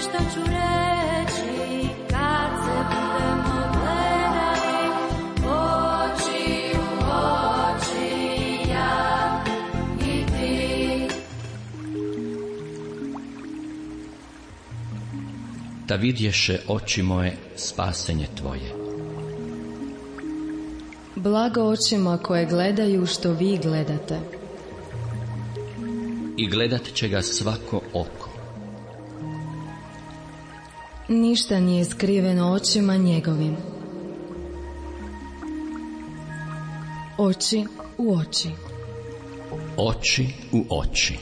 što ću reći kad se budemo gledali oči u oči, ja i ti. Da vidješe oči moje spasenje tvoje. Blago očima koje gledaju što vi gledate. I gledat će ga svako oko. Ništa nije skriveno očima njegovim. Oči u oči. Oči u oči.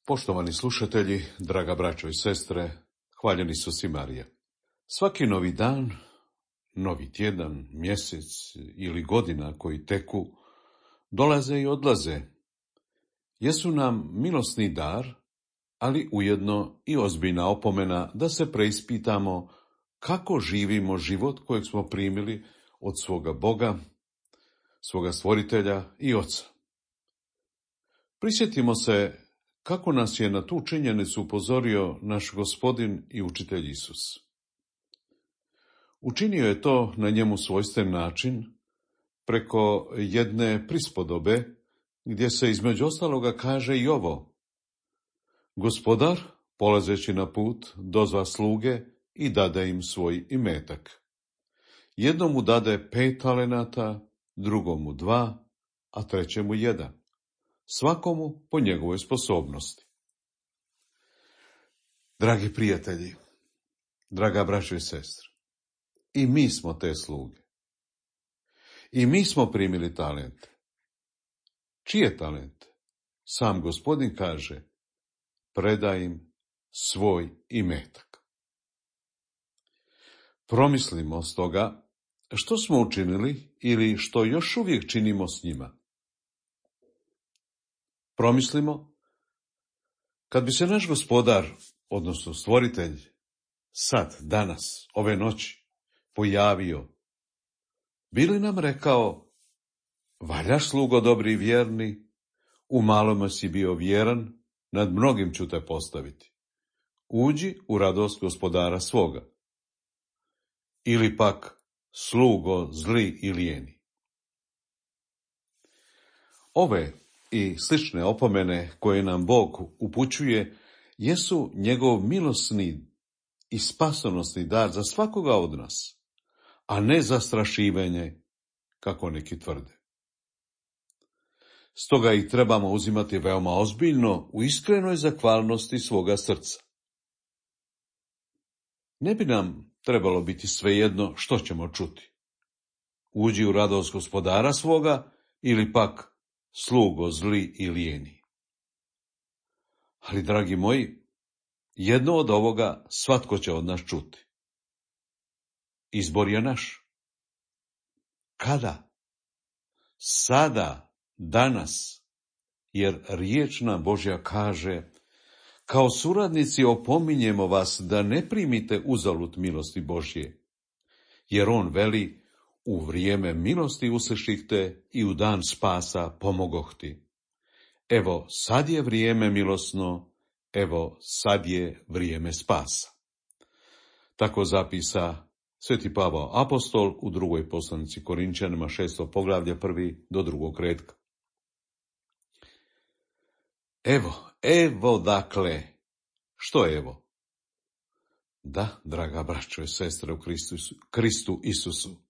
Poštovani slušatelji, draga braćo i sestre, hvaljeni Isus i Marija. Svaki novi dan, novi tjedan, mjesec ili godina koji teku, dolaze i odlaze. Jesu nam milosni dar, ali ujedno i ozbiljna opomena da se preispitamo kako živimo život kojeg smo primili od svoga Boga, svoga stvoritelja i Oca. Prisjetimo se kako nas je na tu činjenicu upozorio naš Gospodin i učitelj Isus. Učinio je to na njemu svojstven način, preko jedne prispodobe, gdje se između ostaloga kaže i ovo: Gospodar, polazeći na put, dozva sluge i dade im svoj imetak. Jednomu dade 5 talenata, drugomu 2, a trećemu 1. Svakomu po njegovoj sposobnosti. Dragi prijatelji, draga braćo i sestre, i mi smo te sluge. I mi smo primili talente. Čije talente? Sam Gospodin kaže: predaj im svoj imetak. Promislimo stoga što smo učinili ili što još uvijek činimo s njima. Promislimo, kad bi se naš Gospodar, odnosno stvoritelj, sad, danas, ove noći, pojavio, bi li nam rekao: valjaš, slugo dobri i vjerni, u malome si bio vjeran, nad mnogim ću te postaviti. Uđi u radost Gospodara svoga. Ili pak: slugo zli i lijeni. Ove i slične opomene koje nam Bog upućuje jesu njegov milosni i spasonosni dar za svakoga od nas, a ne zastrašivanje, kako neki tvrde. Stoga ih trebamo uzimati veoma ozbiljno u iskrenoj zahvalnosti svoga srca. Ne bi nam trebalo biti svejedno što ćemo čuti. Uđi u radost Gospodara svoga ili pak: slugo zli i lijeni. Ali, dragi moji, jedno od ovoga svatko će od nas čuti. Izbor je naš. Kada? Sada, danas, jer riječ nam Božja kaže: kao suradnici opominjemo vas da ne primite uzalud milosti Božje, jer on veli: u vrijeme milosti usliših te i u dan spasa pomogoh ti. Evo, sad je vrijeme milosno, evo, sad je vrijeme spasa. Tako zapisa Sveti Pavao apostol u drugoj poslanici Korinčanima 6. poglavlje 1. do 2. retka. Evo dakle, što je evo? Da, draga braćo i sestre u Kristu Isusu.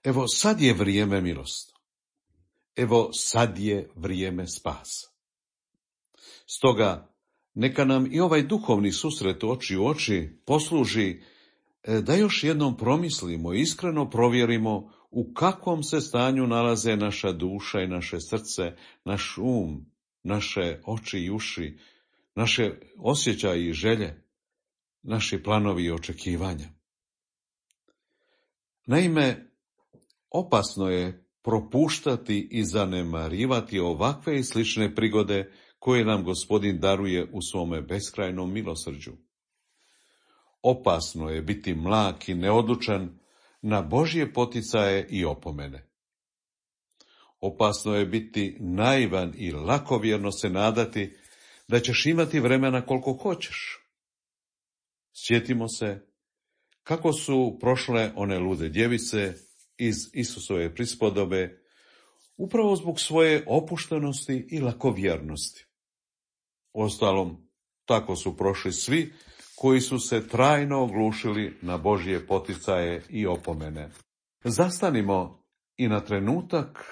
Evo, sad je vrijeme milosti. Evo, sad je vrijeme spasa. Stoga, neka nam i ovaj duhovni susret oči u oči posluži da još jednom promislimo i iskreno provjerimo u kakvom se stanju nalaze naša duša i naše srce, naš um, naše oči i uši, naše osjećaje i želje, naši planovi i očekivanja. Naime, opasno je propuštati i zanemarivati ovakve i slične prigode koje nam Gospodin daruje u svome beskrajnom milosrđu. Opasno je biti mlak i neodlučan na Božje poticaje i opomene. Opasno je biti naivan i lakovjerno se nadati da ćeš imati vremena koliko hoćeš. Sjetimo se kako su prošle one lude djevice iz Isusove prispodobe, upravo zbog svoje opuštenosti i lakovjernosti. Uostalom, tako su prošli svi koji su se trajno oglušili na Božje poticaje i opomene. Zastanimo i na trenutak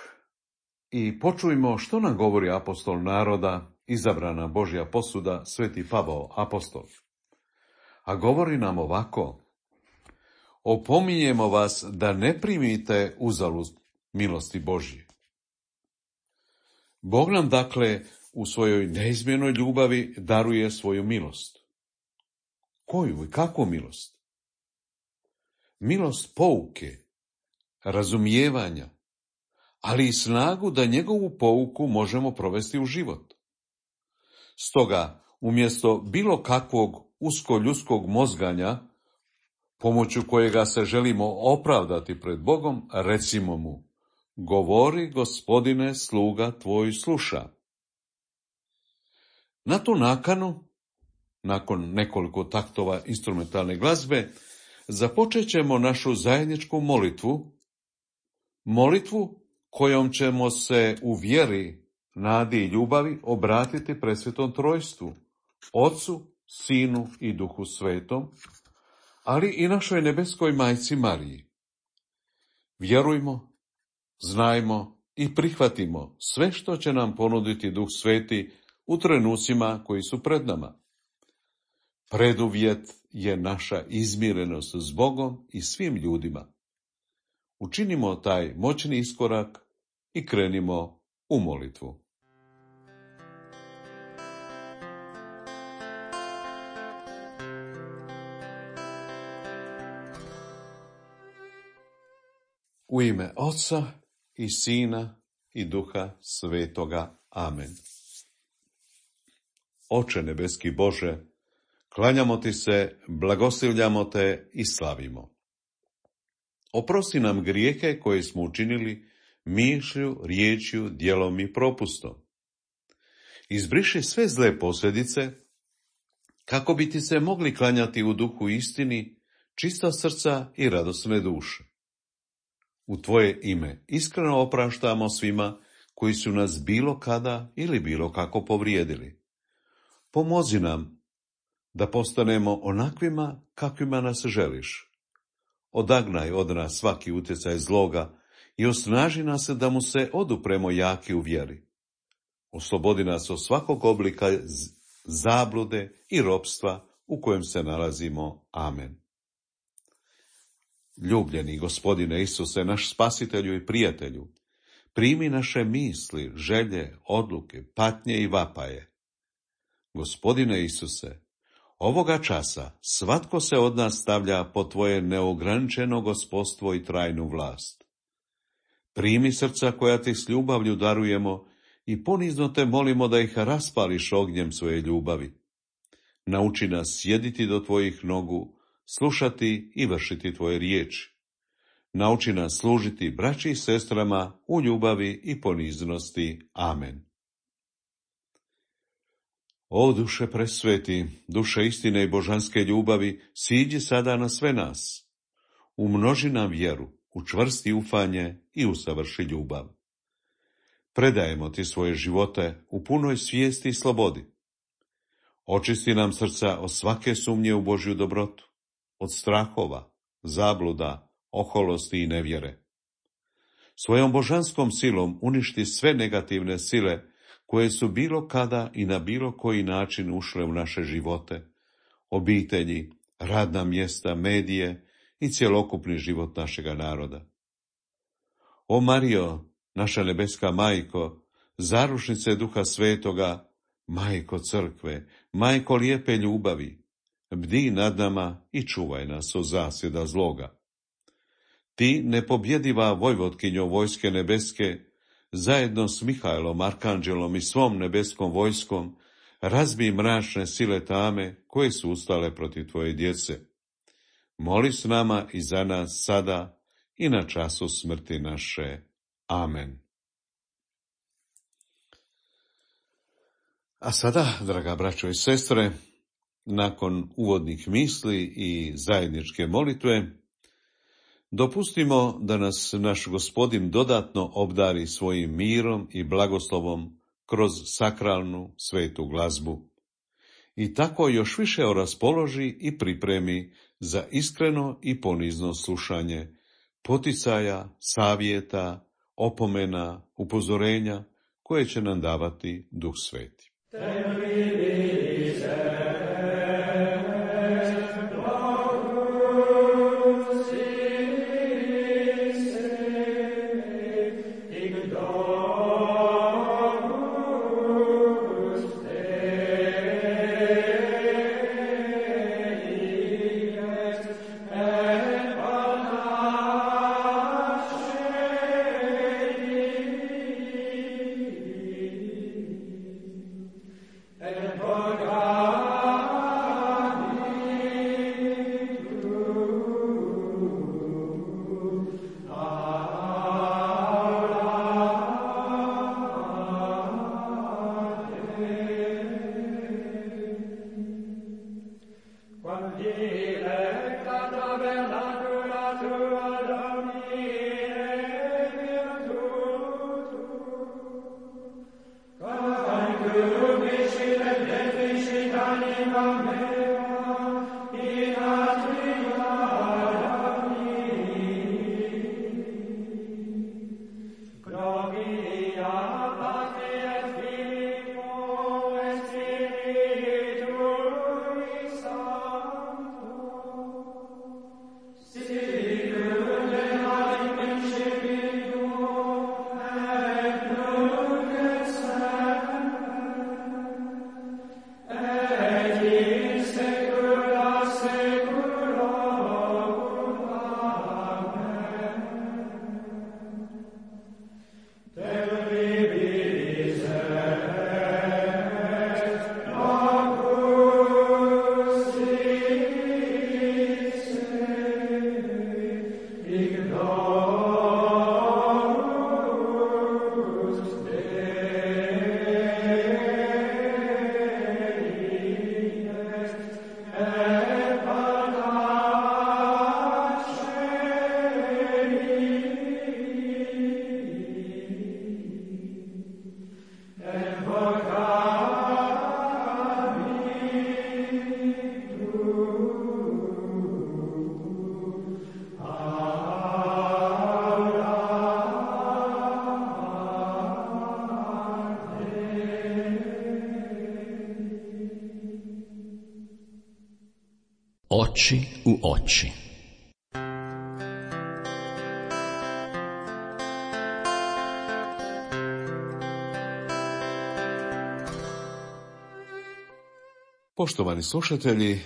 i počujmo što nam govori apostol naroda, izabrana Božja posuda, sveti Pavao apostol. A govori nam ovako: opominjemo vas da ne primite uzalud milosti Božje. Bog nam dakle u svojoj neizmjernoj ljubavi daruje svoju milost. Koju i kakvu milost? Milost pouke, razumijevanja, ali i snagu da njegovu pouku možemo provesti u život. Stoga, umjesto bilo kakvog uskoljudskog mozganja, pomoću kojega se želimo opravdati pred Bogom, recimo mu: govori, Gospodine, sluga tvoj sluša. Na tu nakanu, nakon nekoliko taktova instrumentalne glazbe, započet ćemo našu zajedničku molitvu kojom ćemo se u vjeri, nadi i ljubavi obratiti presvetom trojstvu, Otcu, Sinu i Duhu Svetom, ali i našoj nebeskoj majci Mariji. Vjerujmo, znajmo i prihvatimo sve što će nam ponuditi Duh Sveti u trenucima koji su pred nama. Preduvjet je naša izmirenost s Bogom i svim ljudima. Učinimo taj moćni iskorak i krenimo u molitvu. U ime Oca i Sina i Duha Svetoga. Amen. Oče nebeski Bože, klanjamo ti se, blagoslivljamo te i slavimo. Oprosti nam grijehe koje smo učinili mišlju, riječju, djelom i propustom. Izbriši sve zle posljedice, kako bi ti se mogli klanjati u duhu istini, čista srca i radosne duše. U tvoje ime iskreno opraštamo svima koji su nas bilo kada ili bilo kako povrijedili. Pomozi nam da postanemo onakvima kakvima nas želiš. Odagnaj od nas svaki utjecaj zloga i osnaži nas da mu se odupremo jaki u vjeri. Oslobodi nas od svakog oblika zablude i ropstva u kojem se nalazimo. Amen. Ljubljeni Gospodine Isuse, naš spasitelju i prijatelju, primi naše misli, želje, odluke, patnje i vapaje. Gospodine Isuse, ovoga časa svatko se od nas stavlja pod tvoje neograničeno gospodstvo i trajnu vlast. Primi srca koja ti s ljubavlju darujemo i ponizno te molimo da ih raspališ ognjem svoje ljubavi. Nauči nas sjediti do tvojih nogu, slušati i vršiti tvoje riječi. Nauči nas služiti braći i sestrama u ljubavi i poniznosti. Amen. O duše presveti, duše istine i božanske ljubavi, siđi sada na sve nas. Umnoži nam vjeru, učvrsti ufanje i usavrši ljubav. Predajemo ti svoje živote u punoj svijesti i slobodi. Očisti nam srca od svake sumnje u Božju dobrotu, od strahova, zabluda, oholosti i nevjere. Svojom božanskom silom uništi sve negativne sile koje su bilo kada i na bilo koji način ušle u naše živote, obitelji, radna mjesta, medije i cjelokupni život našega naroda. O Marijo, naša nebeska majko, zaručnice Duha Svetoga, Majko crkve, Majko lijepe ljubavi, bdi nad nama i čuvaj nas od zasjeda zloga. Ti, nepobjediva vojvotkinjo vojske nebeske, zajedno s Mihajlom, arkanđelom i svom nebeskom vojskom, razbij mračne sile tame koje su ustale protiv tvoje djece. Moli s nama i za nas sada i na času smrti naše. Amen. A sada, draga braćo i sestre, nakon uvodnih misli i zajedničke molitve, dopustimo da nas naš Gospodin dodatno obdari svojim mirom i blagoslovom kroz sakralnu svetu glazbu i tako još više raspoloži i pripremi za iskreno i ponizno slušanje poticaja, savjeta, opomena, upozorenja koje će nam davati Duh Sveti. Oči u oči. Poštovani slušatelji,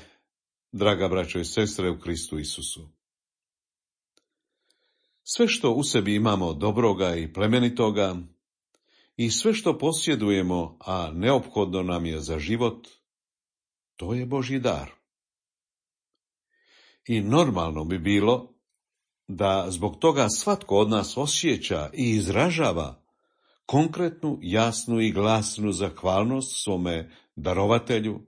draga braćo i sestre u Kristu Isusu. Sve što u sebi imamo dobroga i plemenitoga i sve što posjedujemo, a neophodno nam je za život, to je Božji dar. I normalno bi bilo da zbog toga svatko od nas osjeća i izražava konkretnu, jasnu i glasnu zahvalnost svome darovatelju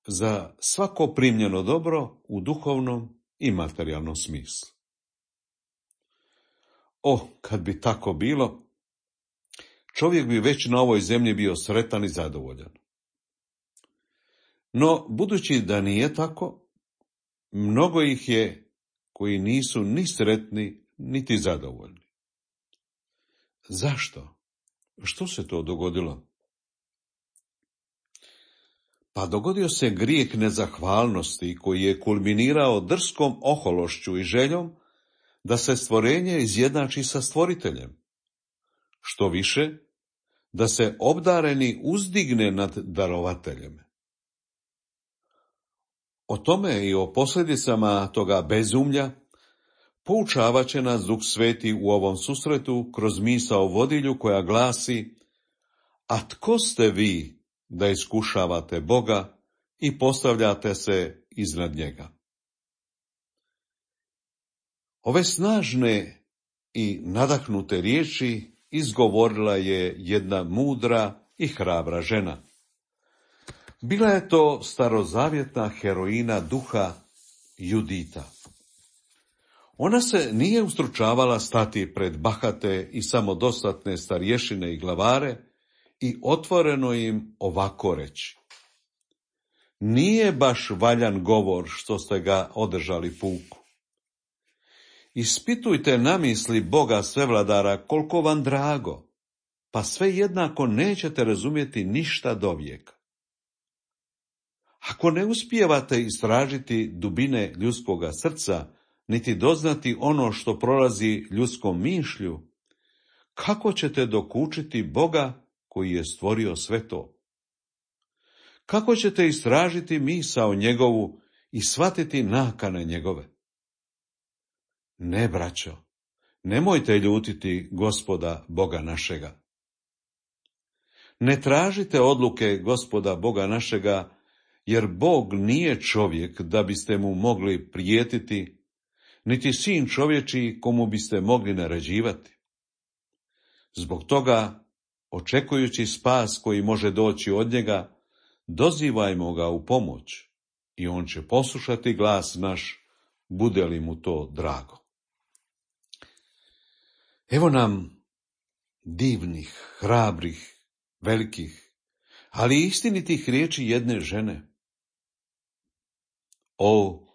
za svako primljeno dobro u duhovnom i materijalnom smislu. Kad bi tako bilo, čovjek bi već na ovoj zemlji bio sretan i zadovoljan. No, budući da nije tako, mnogo ih je koji nisu ni sretni, niti zadovoljni. Zašto? Što se to dogodilo? Pa dogodio se grijeh nezahvalnosti koji je kulminirao drskom ohološću i željom da se stvorenje izjednači sa stvoriteljem. Što više, da se obdareni uzdigne nad darovateljem. O tome i o posljedicama toga bezumlja poučavat će nas Duh Sveti u ovom susretu kroz misao vodilju koja glasi: a tko ste vi da iskušavate Boga i postavljate se iznad njega? Ove snažne i nadahnute riječi izgovorila je jedna mudra i hrabra žena. Bila je to starozavjetna heroina duha Judita. Ona se nije ustručavala stati pred bahate i samodostatne starješine i glavare i otvoreno im ovako reći: nije baš valjan govor što ste ga održali puku. Ispitujte namisli Boga Svevladara koliko vam drago, pa sve jednako nećete razumjeti ništa dovijeka. Ako ne uspijevate istražiti dubine ljudskoga srca, niti doznati ono što prolazi ljudskom mišlju, kako ćete dokučiti Boga koji je stvorio sve to? Kako ćete istražiti misao njegovu i shvatiti nakane njegove? Ne, braćo, nemojte ljutiti Gospoda Boga našega. Ne tražite odluke Gospoda Boga našega, jer Bog nije čovjek da biste mu mogli prijetiti, niti sin čovječiji komu biste mogli naređivati. Zbog toga, očekujući spas koji može doći od njega, dozivajmo ga u pomoć i on će poslušati glas naš, bude li mu to drago. Evo nam divnih, hrabrih, velikih, ali istinitih riječi jedne žene. O,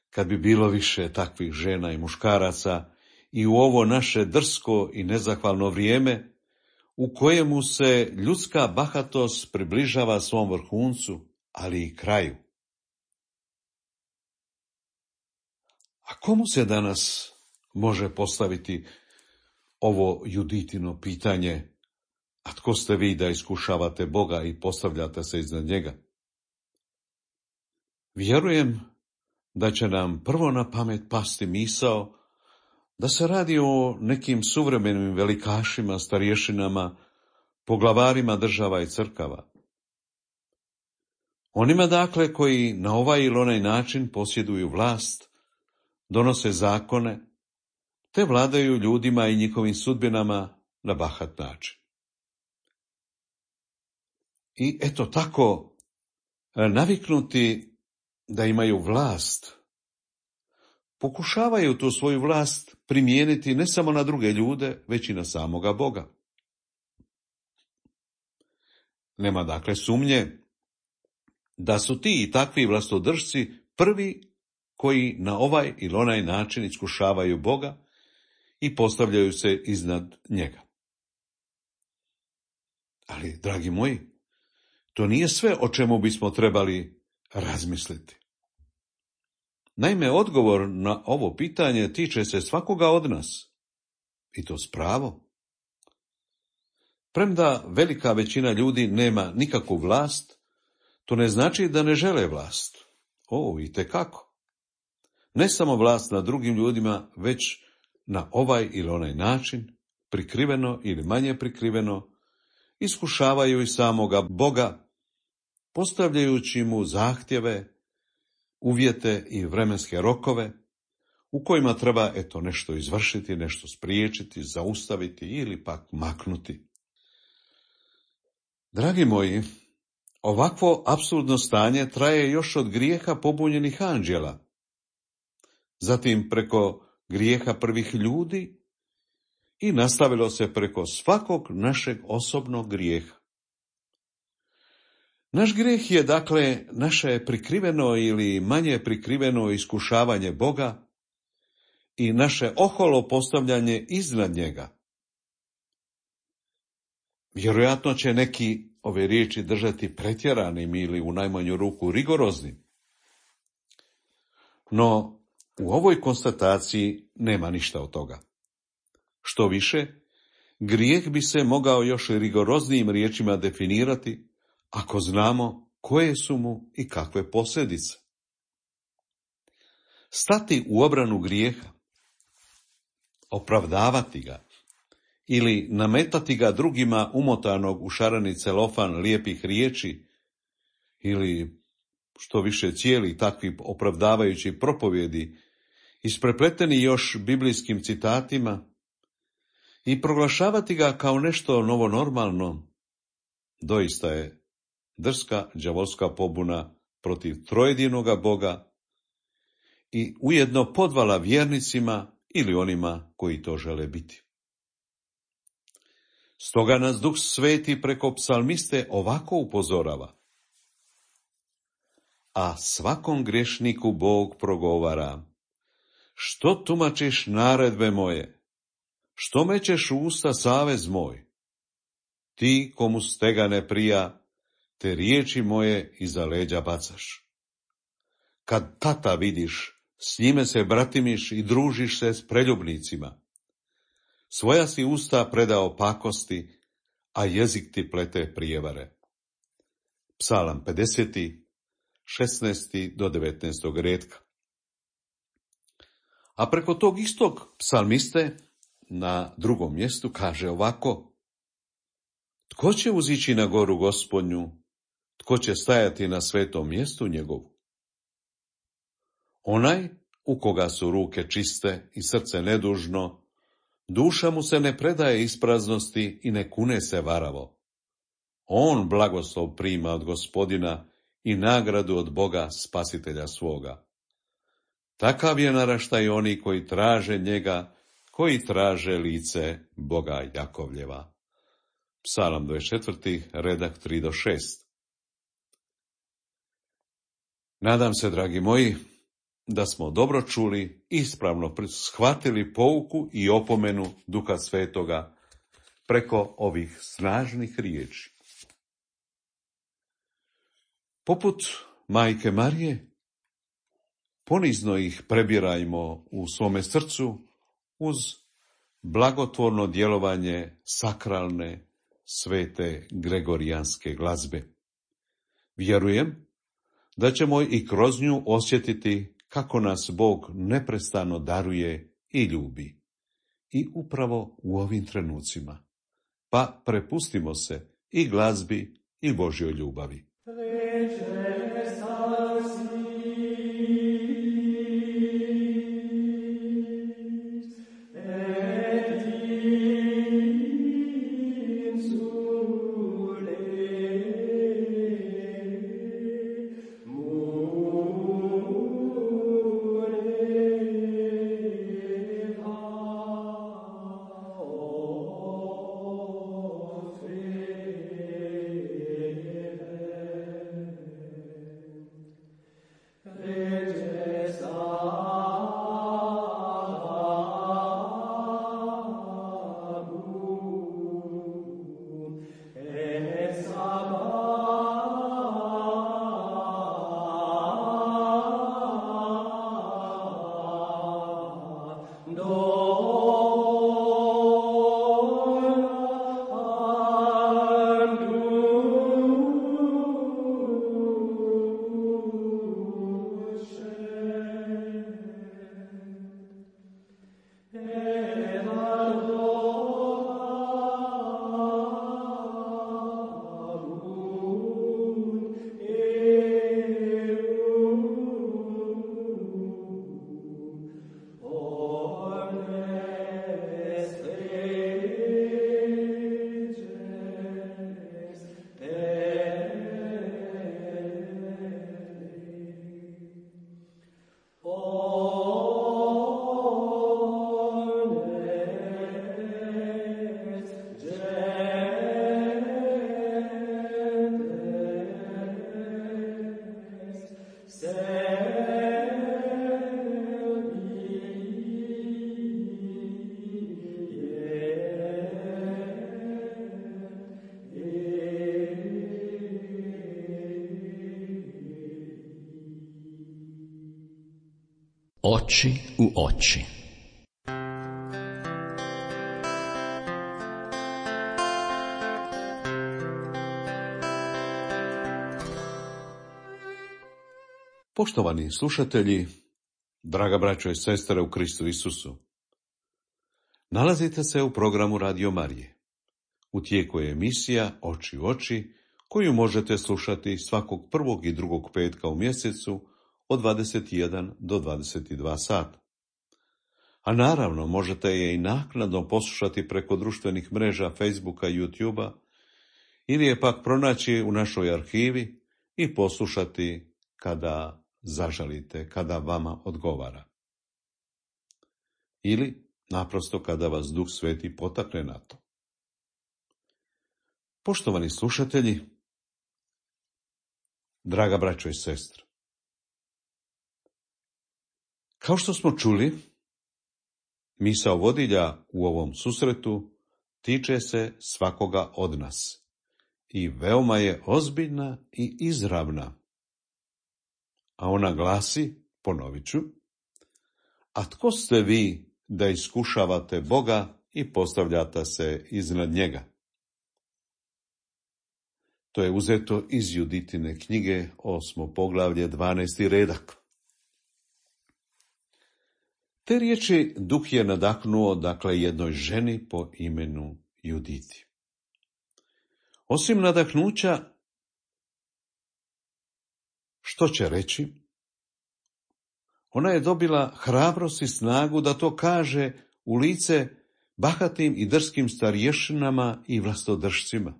kad bi bilo više takvih žena i muškaraca i u ovo naše drsko i nezahvalno vrijeme, u kojemu se ljudska bahatost približava svom vrhuncu, ali i kraju. A komu se danas može postaviti ovo Juditino pitanje: a tko ste vi da iskušavate Boga i postavljate se iznad njega? Vjerujem da će nam prvo na pamet pasti misao da se radi o nekim suvremenim velikašima, starješinama, poglavarima država i crkava. Onima dakle koji na ovaj ili onaj način posjeduju vlast, donose zakone, te vladaju ljudima i njihovim sudbinama na bahat način. I eto tako, naviknuti da imaju vlast, pokušavaju tu svoju vlast primijeniti ne samo na druge ljude, već i na samoga Boga. Nema dakle sumnje da su ti i takvi vlastodržci prvi koji na ovaj ili onaj način iskušavaju Boga i postavljaju se iznad njega. Ali, dragi moji, to nije sve o čemu bismo trebali razmisliti. Naime, odgovor na ovo pitanje tiče se svakoga od nas, i to s pravom. Premda velika većina ljudi nema nikakvu vlast, to ne znači da ne žele vlast. O, itekako. Ne samo vlast nad drugim ljudima, već na ovaj ili onaj način, prikriveno ili manje prikriveno, iskušavaju i samoga Boga, postavljajući mu zahtjeve, uvjete i vremenske rokove, u kojima treba nešto izvršiti, nešto spriječiti, zaustaviti ili pak maknuti. Dragi moji, ovakvo apsurdno stanje traje još od grijeha pobunjenih anđela, zatim preko grijeha prvih ljudi i nastavilo se preko svakog našeg osobnog grijeha. Naš grijeh je dakle naše prikriveno ili manje prikriveno iskušavanje Boga i naše oholo postavljanje iznad njega. Vjerojatno će neki ove riječi držati pretjeranim ili u najmanju ruku rigoroznim. No, u ovoj konstataciji nema ništa od toga. Što više, Grijeh bi se mogao još rigoroznijim riječima definirati ako znamo koje su mu i kakve posljedice. Stati u obranu grijeha, opravdavati ga ili nametati ga drugima umotanog u šareni celofan lijepih riječi ili što više cijeli takvi opravdavajući propovjedi, isprepleteni još biblijskim citatima, i proglašavati ga kao nešto novonormalno, doista je drska đavolska pobuna protiv trojedinoga Boga i ujedno podvala vjernicima ili onima koji to žele biti. Stoga nas Duh Sveti preko psalmiste ovako upozorava: a svakom grešniku Bog progovara: što tumačiš naredbe moje? Što mećeš u usta savez moj? Ti komu stega ne prija, te riječi moje iza leđa bacaš. Kad tata vidiš, s njime se bratimiš i družiš se s preljubnicima. Svoja si usta predao pakosti, a jezik ti plete prijevare. Psalam 50, 16 do 19 redka. A preko tog istog psalmiste na drugom mjestu kaže ovako: tko će uzići na goru Gospodnju, tko će stajati na svetom mjestu njegovu? Onaj u koga su ruke čiste i srce nedužno, duša mu se ne predaje ispraznosti i ne kune se varavo. On blagoslov prima od Gospodina i nagradu od Boga spasitelja svoga. Takav je naraštaj oni koji traže njega, koji traže lice Boga Jakovljeva. Psalam 24, redak 3 do 6. Nadam se, dragi moji, da smo dobro čuli, ispravno shvatili pouku i opomenu Duha Svetoga preko ovih snažnih riječi. Poput Majke Marije, ponizno ih prebirajmo u svome srcu uz blagotvorno djelovanje sakralne, svete gregorijanske glazbe. Vjerujem da ćemo i kroz nju osjetiti kako nas Bog neprestano daruje i ljubi. I upravo u ovim trenucima. Pa prepustimo se i glazbi i Božjoj ljubavi. Oči u oči. Poštovani slušatelji, draga braćo i sestre u Kristu Isusu, nalazite se u programu Radio Marije. U tijeku je emisija Oči u oči, koju možete slušati svakog prvog i drugog petka u mjesecu od 21 do 22 sata. A naravno možete je i naknadno poslušati preko društvenih mreža Facebooka i YouTubea, ili je pak pronaći u našoj arhivi i poslušati kada zažalite, kada vama odgovara. Ili naprosto kada vas Duh Sveti potakne na to. Poštovani slušatelji, draga braćo i sestre, kao što smo čuli, misao vodilja u ovom susretu tiče se svakoga od nas i veoma je ozbiljna i izravna. A ona glasi, ponovit ću, a tko ste vi da iskušavate Boga i postavljate se iznad njega? To je uzeto iz Juditine knjige, 8. poglavlje, 12. redak. Te riječi Duh je nadahnuo, jednoj ženi po imenu Juditi. Osim nadahnuća, što će reći? Ona je dobila hrabrost i snagu da to kaže u lice bahatim i drskim starješinama i vlastodržcima.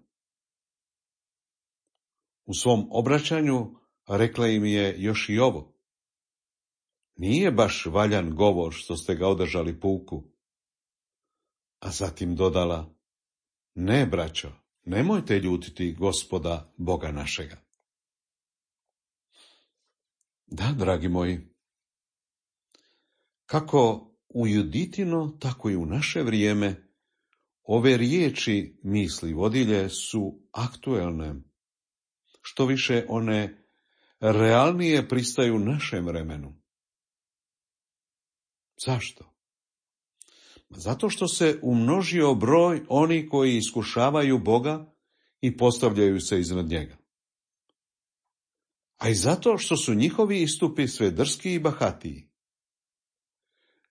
U svom obraćanju rekla im je još i ovo. Nije baš valjan govor što ste ga održali puku. A zatim dodala, ne, braćo, nemojte ljutiti Gospoda Boga našega. Da, dragi moji, kako u Juditino, tako i u naše vrijeme, ove riječi misli vodilje su aktuelne. Što više, one realnije pristaju našem vremenu. Zašto? Zato što se umnožio broj oni koji iskušavaju Boga i postavljaju se iznad njega. A i zato što su njihovi istupi sve drski i bahatiji.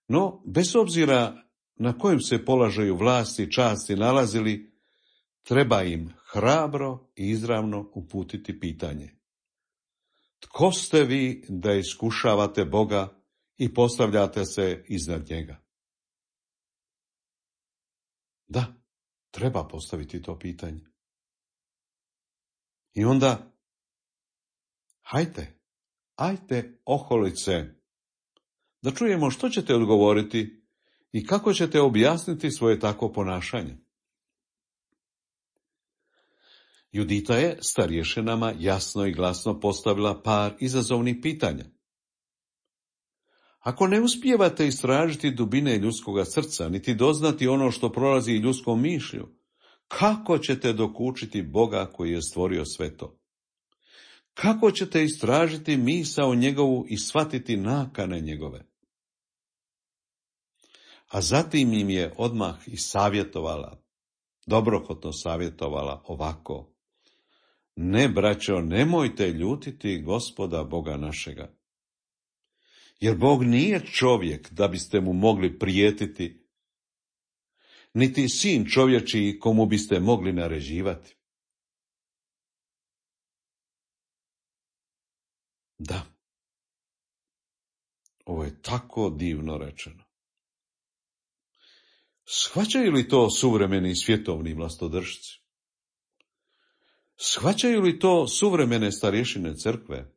No, bez obzira na kojem se položaju vlasti i časti nalazili, treba im hrabro i izravno uputiti pitanje. Tko ste vi da iskušavate Boga i postavljate se iznad njega? Da, treba postaviti to pitanje. I onda, hajte oholice, da čujemo što ćete odgovoriti i kako ćete objasniti svoje takvo ponašanje. Judita je starješinama jasno i glasno postavila par izazovnih pitanja. Ako ne uspijevate istražiti dubine ljudskoga srca, niti doznati ono što prolazi ljudskom mišlju, kako ćete dokučiti Boga koji je stvorio sve to? Kako ćete istražiti misao njegovu i shvatiti nakane njegove? A zatim im je odmah i savjetovala, dobrohotno savjetovala ovako. Ne, braćo, nemojte ljutiti Gospoda Boga našega. Jer Bog nije čovjek da biste mu mogli prijetiti, niti sin čovječiji komu biste mogli naređivati. Da, ovo je tako divno rečeno. Shvaćaju li to suvremeni svjetovni vlastodržci? Shvaćaju li to suvremene starješine crkve?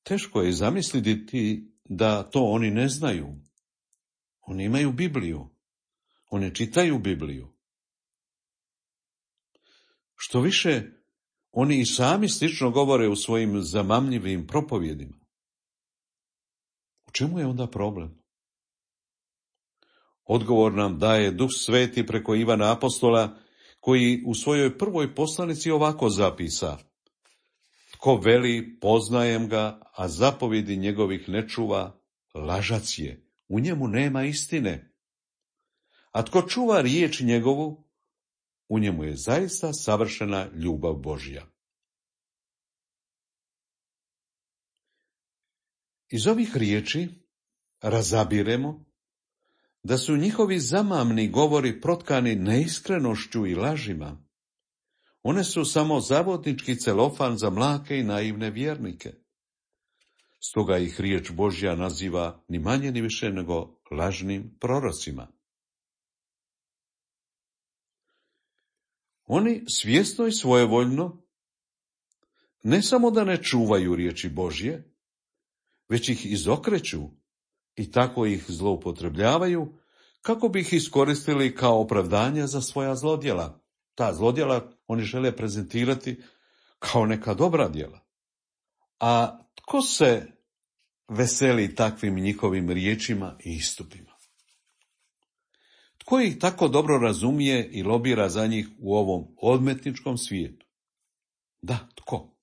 Teško je zamisliti da to oni ne znaju. Oni imaju Bibliju. Oni čitaju Bibliju. Što više, oni i sami slično govore u svojim zamamljivim propovjedima. U čemu je onda problem? Odgovor nam daje Duh Sveti preko Ivana Apostola, koji u svojoj prvoj poslanici ovako zapisa. Tko veli, poznajem ga, a zapovjedi njegovih ne čuva, lažac je, u njemu nema istine. A tko čuva riječ njegovu, u njemu je zaista savršena ljubav Božja. Iz ovih riječi razabiremo da su njihovi zamamni govori protkani neiskrenošću i lažima. One su samo zavodnički celofan za mlake i naivne vjernike. Stoga ih riječ Božja naziva ni manje ni više nego lažnim prorocima. Oni svjesno i svojevoljno ne samo da ne čuvaju riječi Božje, već ih izokreću i tako ih zloupotrebljavaju kako bi ih iskoristili kao opravdanje za svoja zlodjela. Ta zlodjela oni žele prezentirati kao neka dobra djela. A tko se veseli takvim njihovim riječima i istupima? Tko ih tako dobro razumije i lobira za njih u ovom odmetničkom svijetu? Da, tko?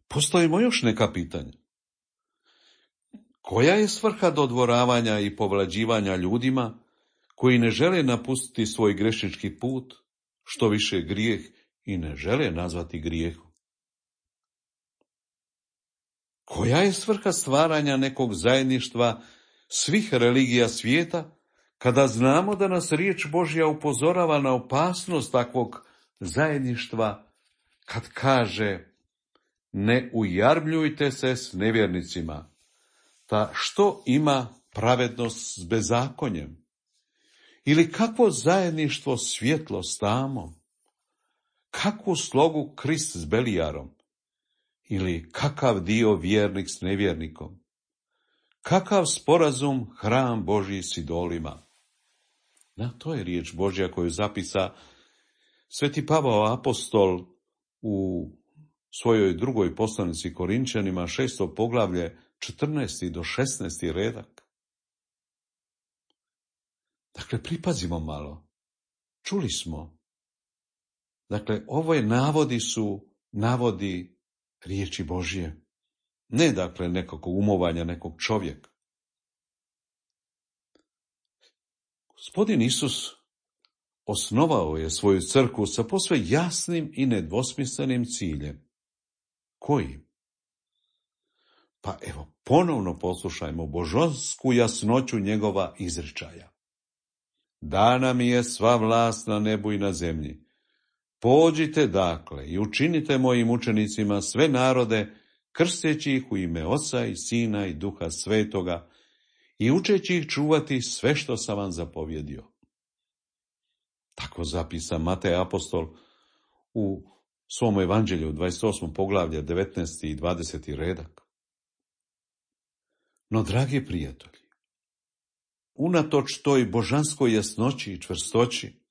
Postavimo još neka pitanja. Koja je svrha dodvoravanja i povlađivanja ljudima koji ne žele napustiti svoj grešnički put, što više grijeh i ne žele nazvati grijehom? Koja je svrha stvaranja nekog zajedništva svih religija svijeta, kada znamo da nas riječ Božja upozorava na opasnost takvog zajedništva, kad kaže: ne ujarbljujte se s nevjernicima, ta što ima pravednost s bezakonjem? Ili kakvo zajedništvo svjetlo s tamom? Kakvu slogu Krist s Belijarom? Ili kakav dio vjernik s nevjernikom? Kakav sporazum hram Božji s idolima? To je riječ Božja koju zapisa Sveti Pavao apostol u svojoj drugoj poslanici Korinčanima, 6. poglavlje, 14. do 16. redak. Dakle, pripazimo malo. Čuli smo. Dakle, ove navodi su navodi riječi Božje. Ne, dakle, nekog umovanja nekog čovjeka. Gospodin Isus osnovao je svoju crkvu sa posve jasnim i nedvosmislenim ciljem. Koji? Pa evo, ponovno poslušajmo božansku jasnoću njegova izričaja. Dana mi je sva vlast na nebu i na zemlji. Pođite dakle i učinite mojim učenicima sve narode, krsteći ih u ime Oca i Sina i Duha Svetoga i učeći ih čuvati sve što sam vam zapovjedio. Tako zapisa Matej apostol u svom evanđelju 28. poglavlje 19. i 20. redak. No, dragi prijatelji, unatoč toj božanskoj jasnoći i čvrstoći,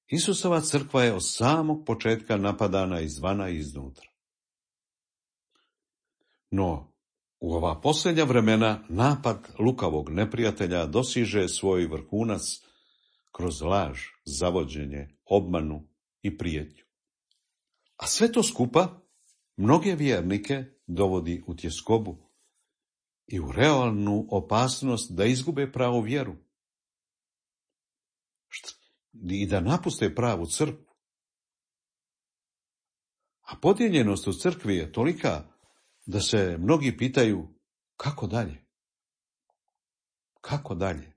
Isusova crkva je od samog početka napadana izvana i iznutra. No, u ova posljednja vremena napad lukavog neprijatelja dosiže svoj vrhunac kroz laž, zavođenje, obmanu i prijetnju. A sve to skupa mnoge vjernike dovodi u tjeskobu i u realnu opasnost da izgube pravu vjeru i da napuste pravu crkvu. A podijeljenost u crkvi je tolika da se mnogi pitaju kako dalje? Kako dalje?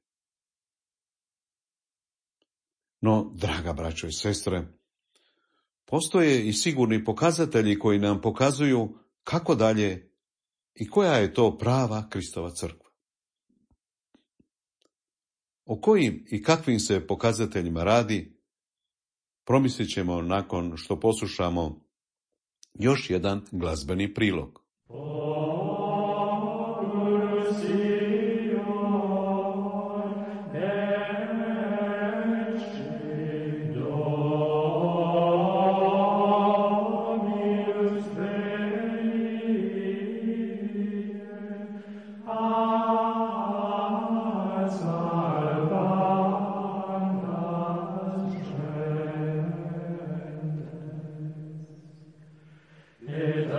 No, draga braćo i sestre, postoje i sigurni pokazatelji koji nam pokazuju kako dalje i koja je to prava Kristova crkva. O kojim i kakvim se pokazateljima radi, promislit ćemo nakon što poslušamo još jedan glazbeni prilog. Et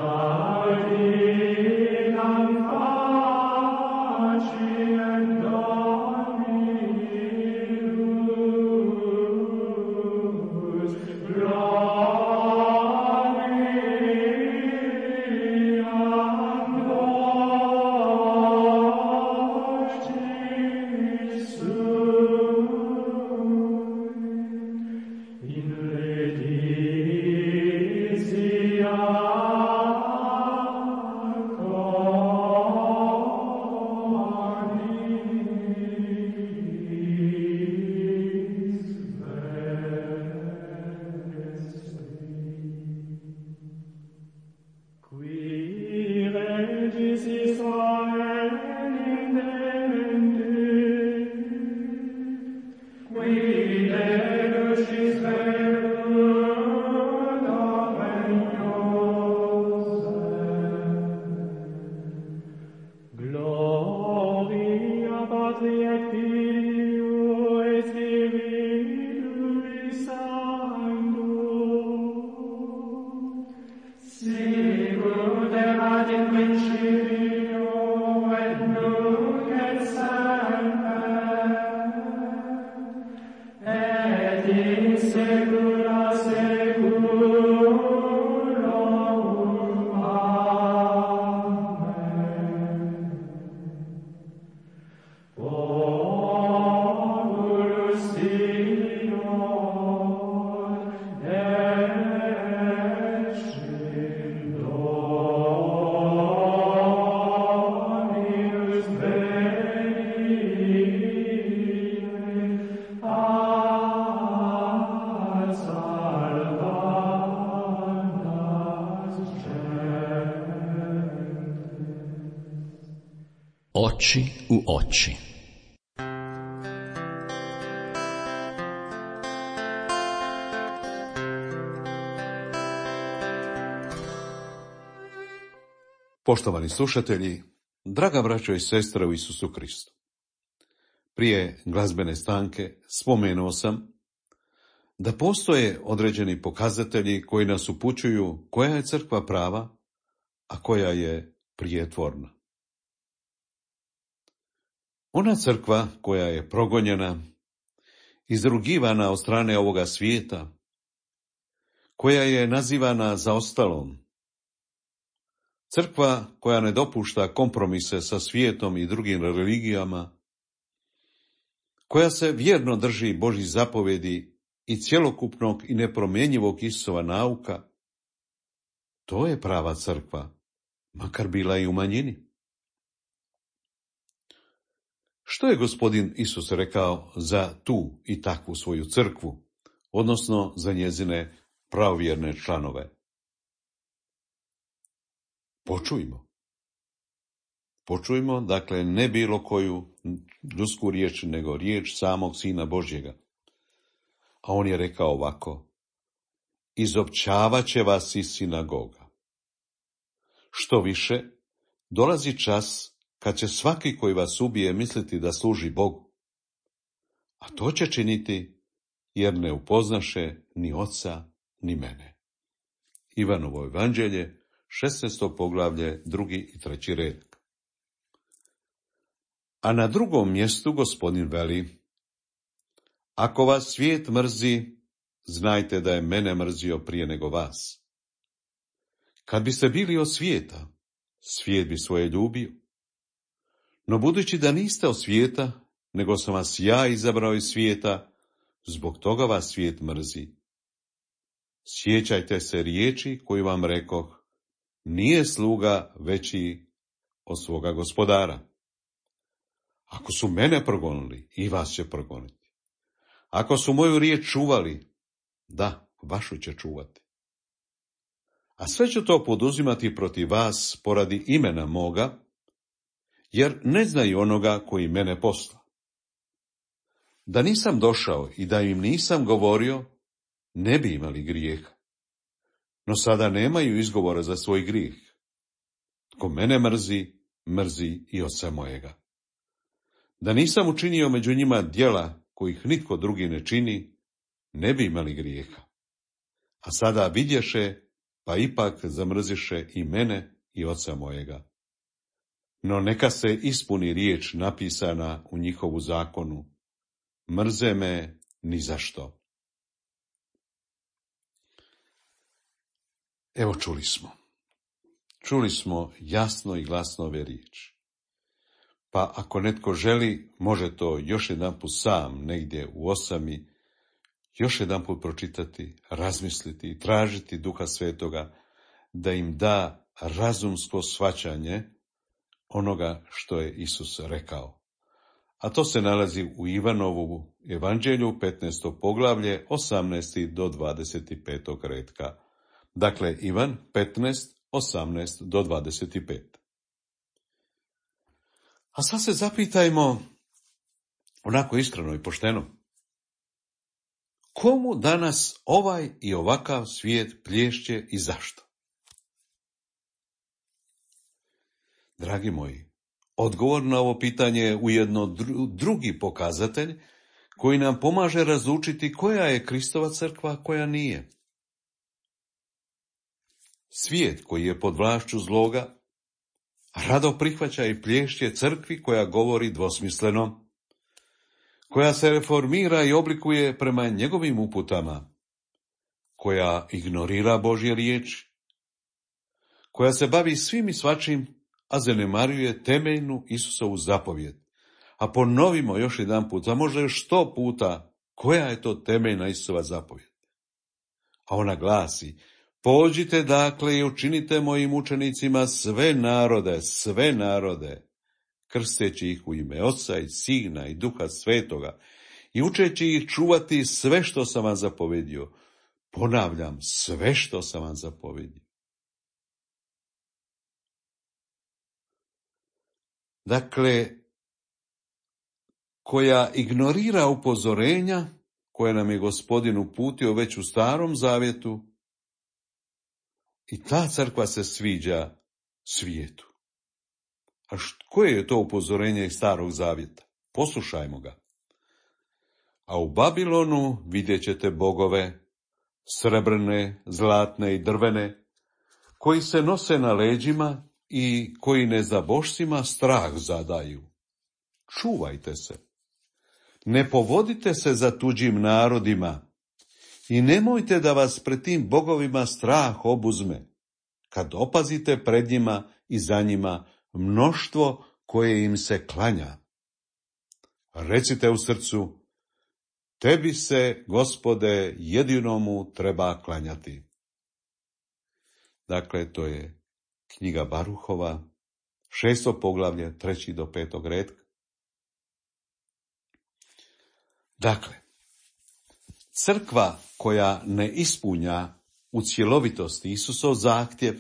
Oči u oči. Poštovani slušatelji, draga braćo i sestre u Isusu Kristu. Prije glazbene stanke spomenuo sam da postoje određeni pokazatelji koji nas upućuju koja je crkva prava, a koja je prijetvorna. Ona crkva koja je progonjena, izrugivana od strane ovoga svijeta, koja je nazivana zaostalom, crkva koja ne dopušta kompromise sa svijetom i drugim religijama, koja se vjerno drži Božjih zapovjedi i cjelokupnog i nepromjenjivog Isusova nauka, to je prava crkva, makar bila i u manjini. Što je Gospodin Isus rekao za tu i takvu svoju crkvu, odnosno za njezine pravovjerne članove? Počujmo, dakle, ne bilo koju ljudsku riječ, nego riječ samog Sina Božjega. A on je rekao ovako: izopćavat će vas iz sinagoga. Što više, dolazi čas kad će svaki koji vas ubije misliti da služi Bogu. A to će činiti jer ne upoznaše ni oca ni mene. Ivanovo evanđelje, 16. poglavlje, 2. i 3. redak. A na drugom mjestu Gospodin veli: ako vas svijet mrzi, znajte da je mene mrzio prije nego vas. Kad biste bili od svijeta, svijet bi svoje ljubio. No budući da niste od svijeta, nego sam vas ja izabrao iz svijeta, zbog toga vas svijet mrzi. Sjećajte se riječi koju vam rekoh: nije sluga veći od svoga gospodara. Ako su mene progonili, i vas će progoniti. Ako su moju riječ čuvali, da, vašu će čuvati. A sve ću to poduzimati protiv vas poradi imena moga, jer ne znaju onoga koji mene posla. Da nisam došao i da im nisam govorio, ne bi imali grijeha. No sada nemaju izgovora za svoj grijeh. Tko mene mrzi, mrzi i oca mojega. Da nisam učinio među njima djela kojih nitko drugi ne čini, ne bi imali grijeha. A sada vidješe, pa ipak zamrziše i mene i oca mojega. No neka se ispuni riječ napisana u njihovu zakonu: mrze me ni zašto. Evo čuli smo jasno i glasno ove riječi. Pa ako netko želi, može to još jedanput sam negdje u osami, još jedanput pročitati, razmisliti i tražiti Duha Svetoga da im da razumsko shvaćanje onoga što je Isus rekao. A to se nalazi u Ivanovu evanđelju, 15. poglavlje, 18. do 25. retka. Dakle, Ivan 15, 18 do 25. A sad se zapitajmo, onako iskreno i pošteno, komu danas ovaj i ovakav svijet plješće i zašto? Dragi moji, odgovor na ovo pitanje je ujedno drugi pokazatelj koji nam pomaže razlučiti koja je Kristova crkva, a koja nije. Svijet koji je pod vlašću zloga rado prihvaća i plješće crkvi koja govori dvosmisleno, koja se reformira i oblikuje prema njegovim uputama, koja ignorira Božje riječi, koja se bavi svim i svačim, a zanemaruje temeljnu Isusovu zapovjed. A ponovimo još jedanput, a možda još 100 puta, koja je to temeljna Isusova zapovjed. A ona glasi: pođite dakle i učinite mojim učenicima sve narode, krsteći ih u ime Oca i Sina i Duha Svetoga i učeći ih čuvati sve što sam vam zapovedio. Ponavljam, sve što sam vam zapovedio. Dakle, koja ignorira upozorenja koje nam je Gospodin uputio već u Starom zavjetu, i ta crkva se sviđa svijetu. A koje je to upozorenje iz Starog zavjeta? Poslušajmo ga. A u Babilonu vidjet ćete bogove, srebrne, zlatne i drvene, koji se nose na leđima i koji nezabošcima strah zadaju. Čuvajte se. Ne povodite se za tuđim narodima i nemojte da vas pred tim bogovima strah obuzme, kad opazite pred njima i za njima mnoštvo koje im se klanja. Recite u srcu, tebi se, Gospode, jedinomu treba klanjati. Dakle, to je knjiga Baruhova, 6. poglavlje, 3. do 5. retka. Dakle, crkva koja ne ispunja u cjelovitosti Isusov zahtjev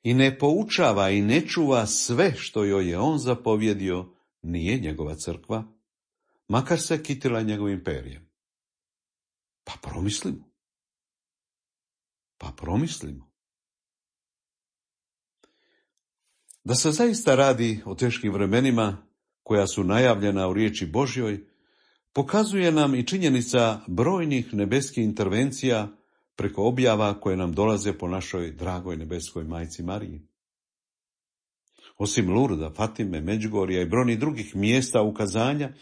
i ne poučava i ne čuva sve što joj je on zapovjedio, nije njegova crkva, makar se kitila njegovim perjem. Pa promislimo. Da se zaista radi o teškim vremenima koja su najavljena u riječi Božjoj, pokazuje nam i činjenica brojnih nebeskih intervencija preko objava koje nam dolaze po našoj dragoj nebeskoj majci Mariji. Osim Lurda, Fatime, Međugorja i brojnih drugih mjesta ukazanja,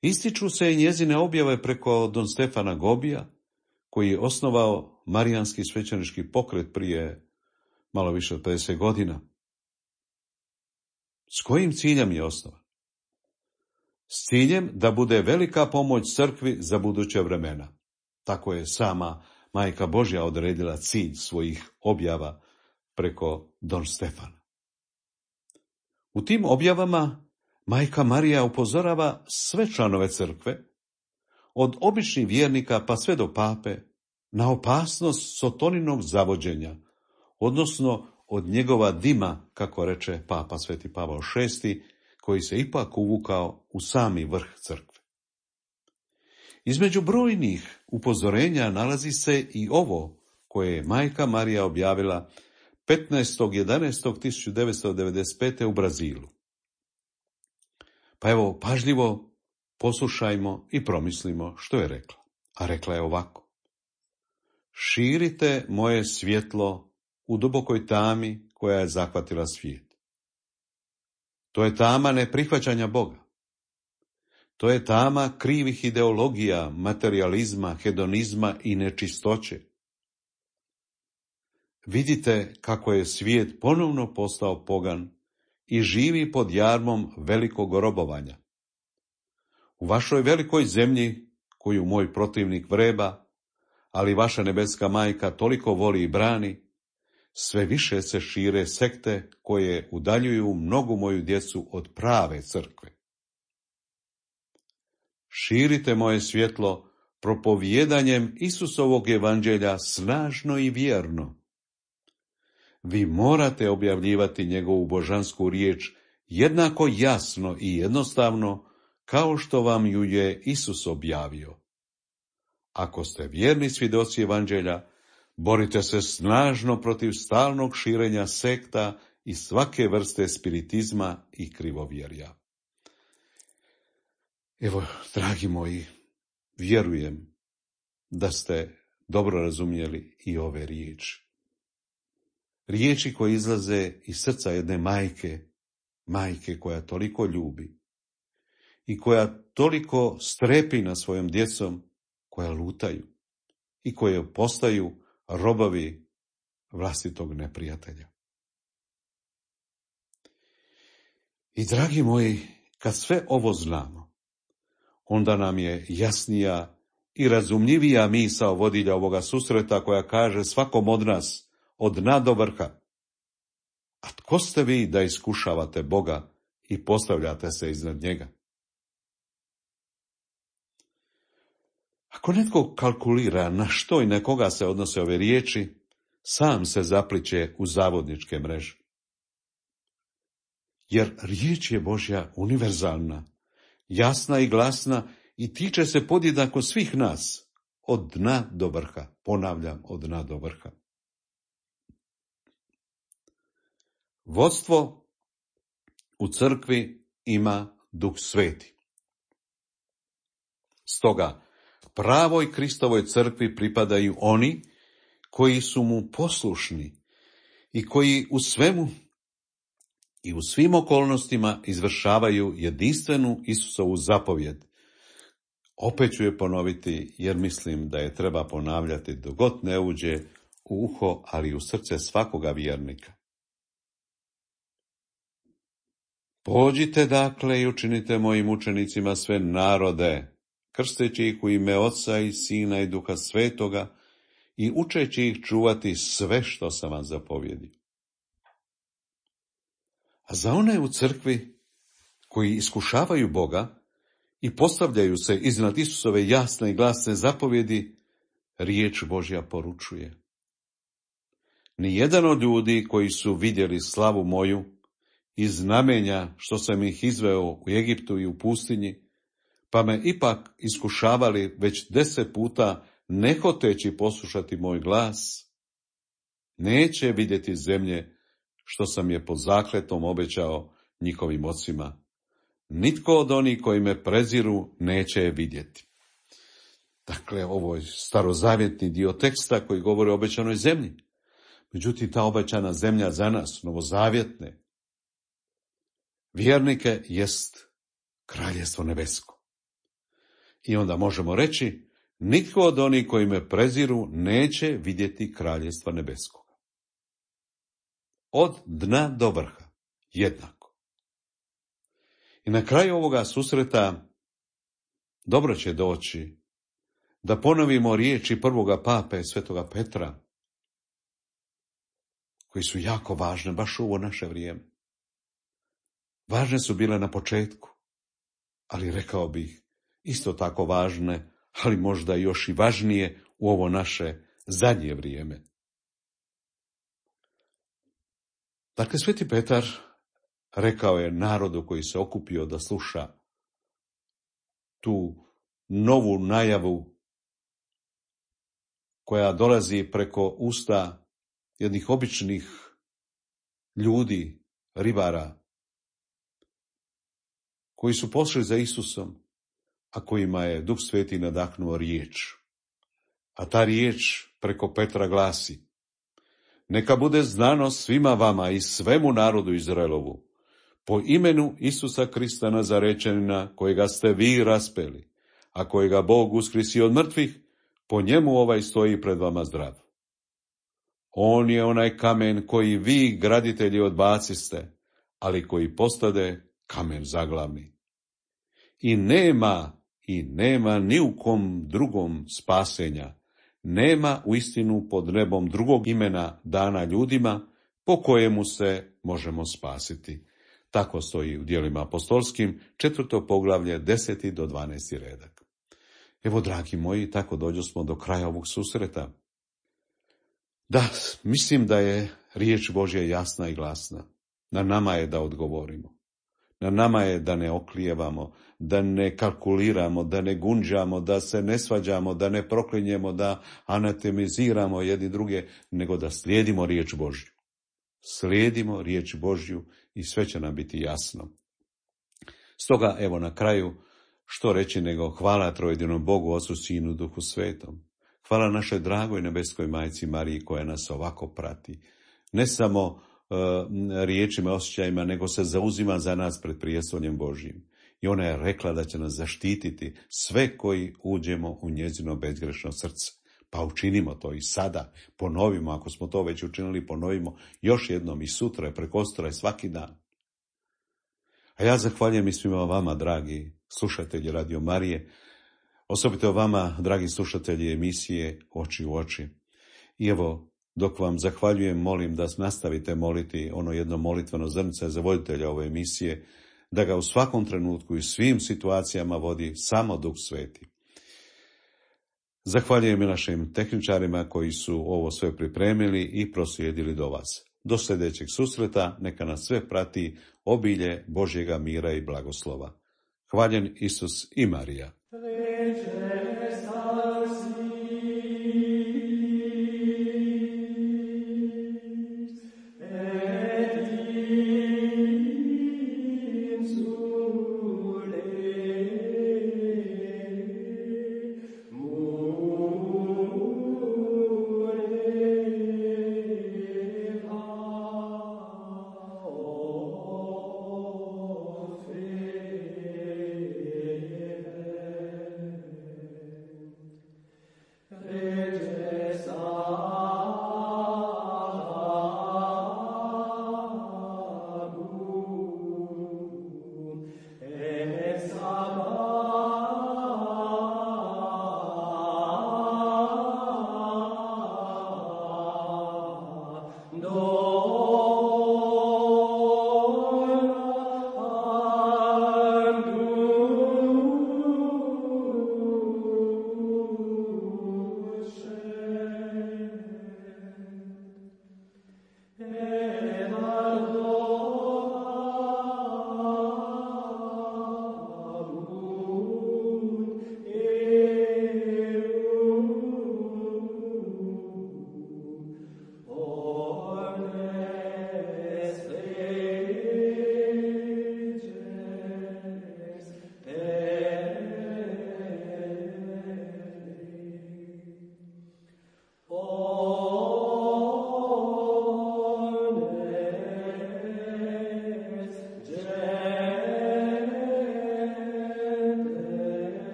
ističu se i njezine objave preko don Stefana Gobija, koji je osnovao marijanski svećenički pokret prije malo više od 50 godina. S kojim ciljem je osnovan? S ciljem da bude velika pomoć crkvi za buduće vremena. Tako je sama Majka Božja odredila cilj svojih objava preko don Stefana. U tim objavama Majka Marija upozorava sve članove crkve, od običnih vjernika pa sve do pape, na opasnost sotoninog zavođenja, odnosno od njegova dima, kako reče papa Sveti Pavao VI, koji se ipak uvukao u sami vrh crkve. Između brojnih upozorenja nalazi se i ovo koje je Majka Marija objavila 15.11.1995. u Brazilu. Pa evo, pažljivo poslušajmo i promislimo što je rekla. A rekla je ovako: širite moje svjetlo u dubokoj tami koja je zahvatila svijet. To je tama neprihvaćanja Boga. To je tama krivih ideologija, materijalizma, hedonizma i nečistoće. Vidite kako je svijet ponovno postao pogan i živi pod jarmom velikog robovanja. U vašoj velikoj zemlji, koju moj protivnik vreba, ali vaša nebeska majka toliko voli i brani, sve više se šire sekte koje udaljuju mnogu moju djecu od prave crkve. Širite moje svjetlo propovijedanjem Isusovog evanđelja snažno i vjerno. Vi morate objavljivati njegovu božansku riječ jednako jasno i jednostavno kao što vam ju je Isus objavio. Ako ste vjerni svjedoci evanđelja, borite se snažno protiv stalnog širenja sekta i svake vrste spiritizma i krivovjerja. Evo, dragi moji, vjerujem da ste dobro razumjeli i ove riječi. Riječi koje izlaze iz srca jedne majke koja toliko ljubi i koja toliko strepi nad svojom djecom koja lutaju i koje postaju robovi vlastitog neprijatelja. I dragi moji, kad sve ovo znamo, onda nam je jasnija i razumljivija misao vodilja ovoga susreta koja kaže svakom od nas, od dna do vrha: a tko ste vi da iskušavate Boga i postavljate se iznad njega? Ako netko kalkulira na što i na koga se odnose ove riječi, sam se zapliće u zavodničke mreže. jer riječ je Božja univerzalna, jasna i glasna i tiče se podjednako svih nas, od dna do vrha. Ponavljam, od dna do vrha. Vodstvo u crkvi ima Duh Sveti. Stoga, pravoj Kristovoj crkvi pripadaju oni koji su mu poslušni i koji u svemu i u svim okolnostima izvršavaju jedinstvenu Isusovu zapovjed. Opet ću je ponoviti, jer mislim da je treba ponavljati dok god ne uđe u uho, ali i u srce svakoga vjernika. Pođite dakle i učinite mojim učenicima sve narode, krsteći ih u ime Oca i Sina i Duha Svetoga i učeći ih čuvati sve što sam vam zapovjedio. A za one u crkvi koji iskušavaju Boga i postavljaju se iznad Isusove jasne i glasne zapovjedi, riječ Božja poručuje: nijedan od ljudi koji su vidjeli slavu moju i znamenja što sam ih izveo u Egiptu i u pustinji, pa me ipak iskušavali već 10 puta ne hoteći poslušati moj glas, neće vidjeti zemlje što sam je pod zakletom obećao njihovim ocima. Nitko od onih koji me preziru neće je vidjeti. Dakle, ovo je starozavjetni dio teksta koji govori o obećanoj zemlji. Međutim, ta obećana zemlja za nas, novozavjetne vjernike, jest kraljevstvo nebesko. I onda možemo reći, nitko od onih koji me preziru neće vidjeti kraljevstva nebeskog. Od dna do vrha, jednako. I na kraju ovoga susreta dobro će doći da ponovimo riječi prvoga pape, svetoga Petra, koji su jako važne baš u ovo naše vrijeme. Važne su bile na početku, ali rekao bih isto tako važne, ali možda još i važnije u ovo naše zadnje vrijeme. Dakle, sveti Petar rekao je narodu koji se okupio da sluša tu novu najavu koja dolazi preko usta jednih običnih ljudi, ribara, koji su pošli za Isusom, a kojima je Duh Sveti nadahnuo riječ. A ta riječ preko Petra glasi: neka bude znano svima vama i svemu narodu Izraelovu, po imenu Isusa Krista Nazarečanina, kojega ste vi raspeli, a kojega Bog uskrsio od mrtvih, po njemu ovaj stoji pred vama zdrav. On je onaj kamen koji vi, graditelji, odbaciste, ali koji postade kamen zaglavni. I nema ni u kom drugom spasenja, nema uistinu pod nebom drugog imena dana ljudima po kojemu se možemo spasiti. Tako stoji u Djelima apostolskim, 4. poglavlje, 10. do 12. redak. Evo, dragi moji, tako dođosmo do kraja ovog susreta. Da, mislim da je riječ Božja jasna i glasna. Na nama je da odgovorimo. Na nama je da ne oklijevamo, da ne kalkuliramo, da ne gunđamo, da se ne svađamo, da ne proklinjemo, da anatemiziramo jedni druge, nego da slijedimo riječ Božju. Slijedimo riječ Božju i sve će nam biti jasno. Stoga, evo na kraju, što reći nego hvala trojedinom Bogu, Ocu, Sinu, Duhu Svetom. Hvala našoj dragoj nebeskoj majci Mariji koja nas ovako prati. Ne samo riječima, osjećajima, nego se zauzima za nas pred prijestoljem Božjim. I ona je rekla da će nas zaštititi sve koji uđemo u njezino bezgrešno srce. Pa učinimo to i sada, ponovimo, ako smo to već učinili, ponovimo još jednom i sutra, i prekosutra i svaki dan. A ja zahvaljujem i svima vama, dragi slušatelji Radio Marije, osobito vama, dragi slušatelji emisije Oči u oči. I evo, dok vam zahvaljujem, molim da nastavite moliti ono jedno molitveno zrnce za voditelja ove emisije, da ga u svakom trenutku i svim situacijama vodi samo Duh Sveti. Zahvaljujem i našim tehničarima koji su ovo sve pripremili i proslijedili do vas. Do sljedećeg susreta neka nas sve prati obilje Božjega mira i blagoslova. Hvaljen Isus i Marija.